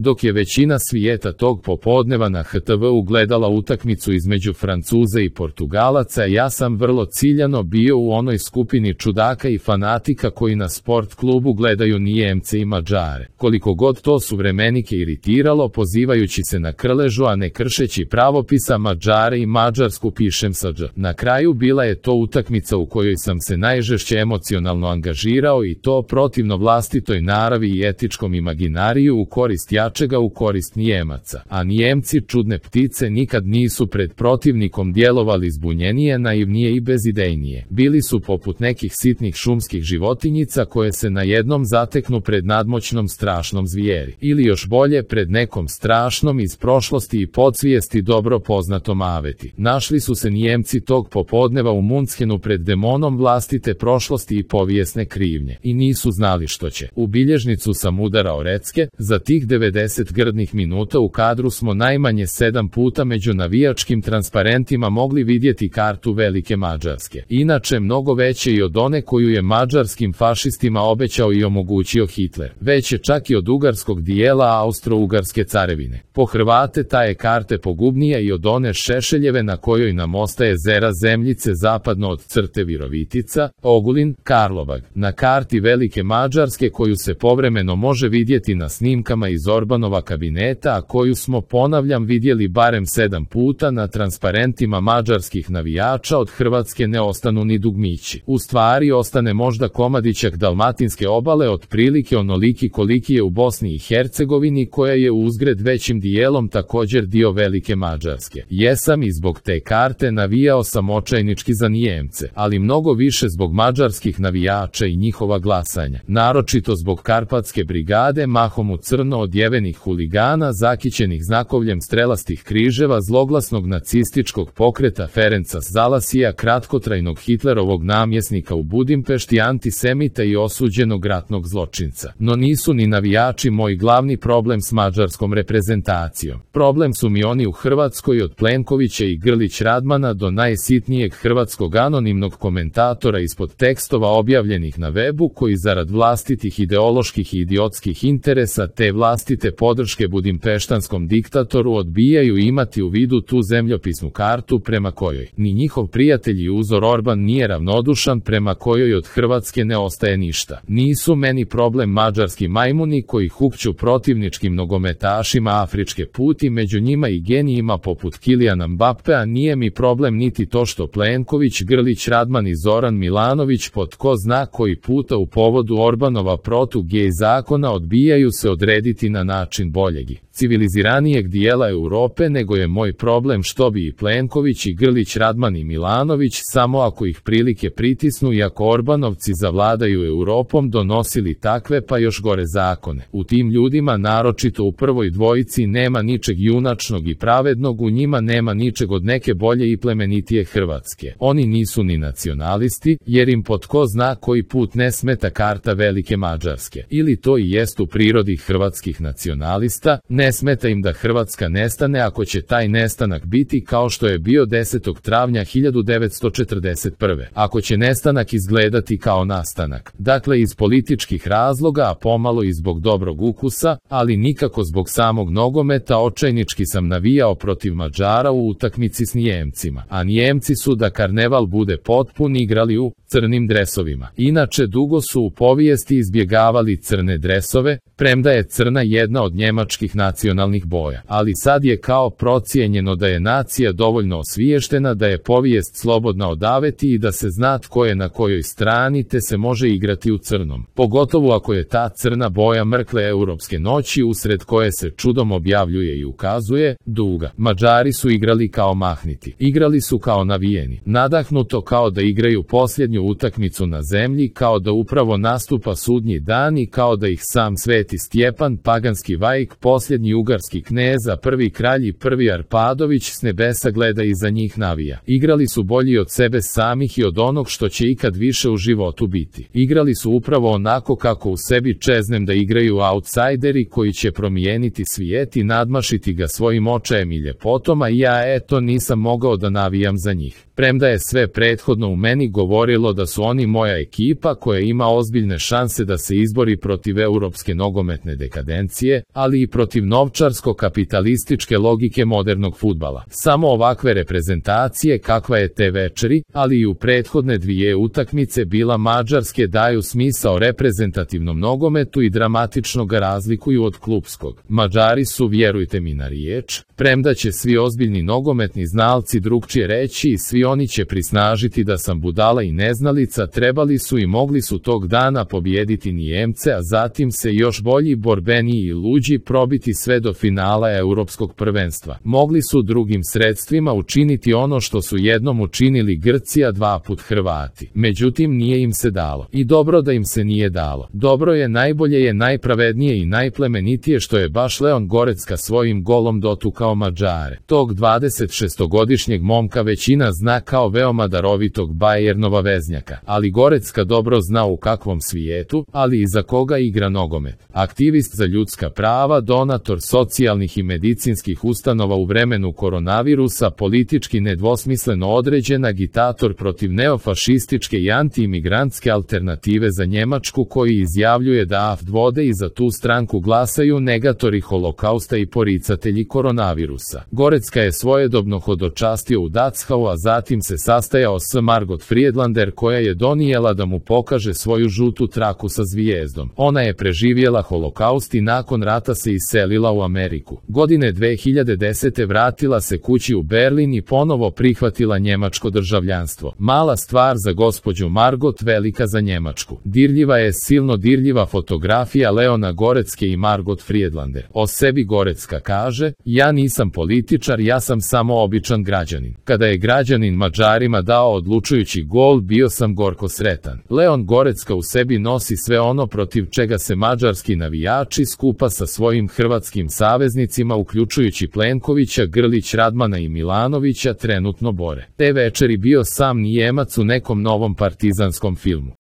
dok je većina svijeta tog popodneva na HTV-u gledala utakmicu između Francuza i Portugalaca, ja sam vrlo ciljano bio u onoj skupini čudaka i fanatika koji na sport klubu gledaju Nijemce i Mađare. Koliko god to suvremenike iritiralo, pozivajući se na Krležu, a ne kršeći pravopisa Mađare i Mađarsku, pišem sa Đ. Na kraju bila je to utakmica u kojoj sam se najžešće emocionalno angažirao, i to protivno vlastitoj naravi i etičkom imaginariju, u korist jačega, u korist Nijemaca. A Nijemci, čudne ptice, nikad nisu pred protivnikom djelovali zbunjenije, naivnije i bezidejnije. Bili su poput nekih sitnih šumskih životinjica koje se na jednom zateknu pred nadmoćnom strašnom zvijeri. Ili još bolje, pred nekom strašnom iz prošlosti i podsvijesti dobro poznatom aveti. Našli su se Nijemci tog popodneva u Munchenu pred demonom vlastite prošlosti i povijesne krivnje. I nisu znali što će. U bilježnicu sam udarao recke, za tih 90 grdnih minuta u kadru smo najmanje 7 puta među navijačkim transparentima mogli vidjeti kartu Velike Mađarske. Inače mnogo veće i od one koju je mađarskim fašistima obećao i omogućio Hitler. Veće čak i od ugarskog dijela Austro-Ugarske carevine. Po Hrvate ta je karte pogubnija i od one Šešeljeve na kojoj nam ostaje zera zemljice zapadno od crte Virovitica, Ogulin, Karlobag. Na karti Velike Mađarske koju se povremeno može vidjeti na snimkama iz Orbanova kabineta, a koju smo, ponavljam, vidjeli barem 7 puta na transparentima mađarskih navijača, od Hrvatske ne ostanu ni dugmići. U stvari ostane možda komadićak dalmatinske obale, otprilike onoliki koliki je u Bosni i Hercegovini, koja je uzgred većim dijelom također dio Velike Mađarske. Jesam i zbog te karte navijao sam očajnički za Nijemce, ali mnogo više zbog mađarskih navijača i njihova glasanja. Naročito zbog Karpatske brigade, mahom u crno odjevenih huligana, zakićenih znakovljem strelastih križeva, zloglasnog nacističkog pokreta Ferenca Zalasija, kratkotrajnog Hitlerovog namjesnika u Budimpešti, antisemita i osuđenog ratnog zločinca. No nisu ni navijači moj glavni problem s mađarskom reprezentacijom. Problem su mi oni u Hrvatskoj, od Plenkovića i Grlić Radmana do najsitnijeg hrvatskog anonimnog komentatora ispod tekstova objavljenih na webu, koji zarad vlastitih ideoloških i idiotskih interesa te vlastite podrške budimpeštanskom diktatoru odbijaju imati u vidu tu zemljopisnu kartu prema kojoj ni njihov prijatelj i uzor Orban nije ravnodušan, prema kojoj od Hrvatske ne ostaje ništa. Nisu meni problem mađarski majmuni koji hukću protivničkim nogometašima afričke puti, među njima i genijima poput Kilijana Mbappea. Nije mi problem niti to što Plenković, Grlić Radman i Zoran Milanović po tko zna koji puta u povodu Orbanova protu-gej zakona odbijaju se odrediti na način boljeg i civiliziranijeg dijela Europe, nego je moj problem što bi i Plenković i Grlić Radman i Milanović, samo ako ih prilike pritisnu i ako Orbanovci zavladaju Europom, donosili takve pa još gore zakone. U tim ljudima, naročito u prvoj dvojici, nema ničeg junačnog i pravednog, u njima nema ničeg od neke bolje i plemenitije Hrvatske. Oni nisu ni nacionalisti, jer im po tko zna koji put ne smeta karta Velike Mađarske. Ili to i jest u prirodi hrvatskih nacionalista, ne smeta im da Hrvatska nestane ako će taj nestanak biti kao što je bio 10. travnja 1941. Ako će nestanak izgledati kao nastanak. Dakle, iz političkih razloga, a pomalo i zbog dobrog ukusa, ali nikako zbog samog nogometa, očajnički sam navijao protiv Mađara u utakmici s Nijemcima. A Nijemci su, da karneval bude potpun, igrali u crnim dresovima. Inače, dugo su u povijesti izbjegavali crne dresove, premda je crna jedna od njemačkih nacionalnih boja. Ali sad je kao procijenjeno da je nacija dovoljno osviještena, da je povijest slobodna od aveti i da se zna tko je na kojoj strani, te se može igrati u crnom. Pogotovo ako je ta crna boja mrkle europske noći, usred koje se čudom objavljuje i ukazuje, duga. Mađari su igrali kao mahniti. Igrali su kao navijeni. Nadahnuto, kao da igraju posljednju utakmicu na zemlji, kao da upravo nastupa sudnji dan i kao da ih sam Sveti Stjepan, paganski vaik, posljednji ugarski knez, a prvi kralj i prvi Arpadović s nebesa gleda i za njih navija. Igrali su bolji od sebe samih i od onog što će ikad više u životu biti. Igrali su upravo onako kako u sebi čeznem da igraju outsideri koji će promijeniti svijet i nadmašiti ga svojim očajem i ljepotom, a ja nisam mogao da navijam za njih. Premda je sve prethodno u meni govorilo da su oni moja ekipa koja ima ozbiljne šanse da se izbori protiv europske nogometne dekadencije, ali i protiv novčarsko-kapitalističke logike modernog fudbala. Samo ovakve reprezentacije kakva je te večeri, ali i u prethodne dvije utakmice bila mađarske daju smisao reprezentativnom nogometu i dramatično ga razlikuju od klupskog. Mađari su, vjerujte mi na riječ, premda će svi ozbiljni nogometni znalci drugčije reći i svi oni će prisnažiti da sam budala i neznalica, trebali su i mogli su tog dana pobijediti Nijemce, a zatim se još bolji, borbeniji i luđi probiti sve do finala europskog prvenstva. Mogli su drugim sredstvima učiniti ono što su jednom učinili Grci, a dva put Hrvati. Međutim, nije im se dalo. I dobro da im se nije dalo. Dobro je, najbolje je, najpravednije i najplemenitije što je baš Leon Gorecka svojim golom dotukao Mađare. Tog 26-godišnjeg momka većina zna kao veoma darovitog Bayernova veznjaka, ali Gorecka dobro zna u kakvom svijetu, ali i za koga igra nogomet. Aktivist za ljudska prava, donator socijalnih i medicinskih ustanova u vremenu koronavirusa, politički nedvosmisleno određen agitator protiv neofašističke i anti-imigrantske alternative za Njemačku, koji izjavljuje da AfD-vode i za tu stranku glasaju negatori holokausta i poricatelji koronavirusa. Gorecka je svojedobno hodočastio u Dachau, a zatim se sastajao s Margot Friedlander, koja je donijela da mu pokaže svoju žutu traku sa zvijezdom. Ona je preživjela holokaust i nakon rata se iselila u Ameriku. Godine 2010. vratila se kući u Berlin i ponovo prihvatila njemačko državljanstvo. Mala stvar za gospođu Margot, velika za Njemačku. Dirljiva je, silno dirljiva fotografija Leona Gorecke i Margot Friedlander. O sebi Gorecka kaže: ja nisam političar, ja sam samo običan građanin. Kada je građanin Mađarima dao odlučujući gol, bio sam gorko sretan. Leon Gorecka u sebi nosi sve ono protiv čega se mađarski navijači skupa sa svojim hrvatskim saveznicima, uključujući Plenkovića, Grlić Radmana i Milanovića, trenutno bore. Te večeri bio sam Nijemac u nekom novom partizanskom filmu.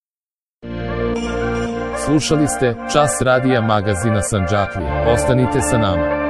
Slušali ste Čas radija magazina Sandžaklija. Ostanite sa nama.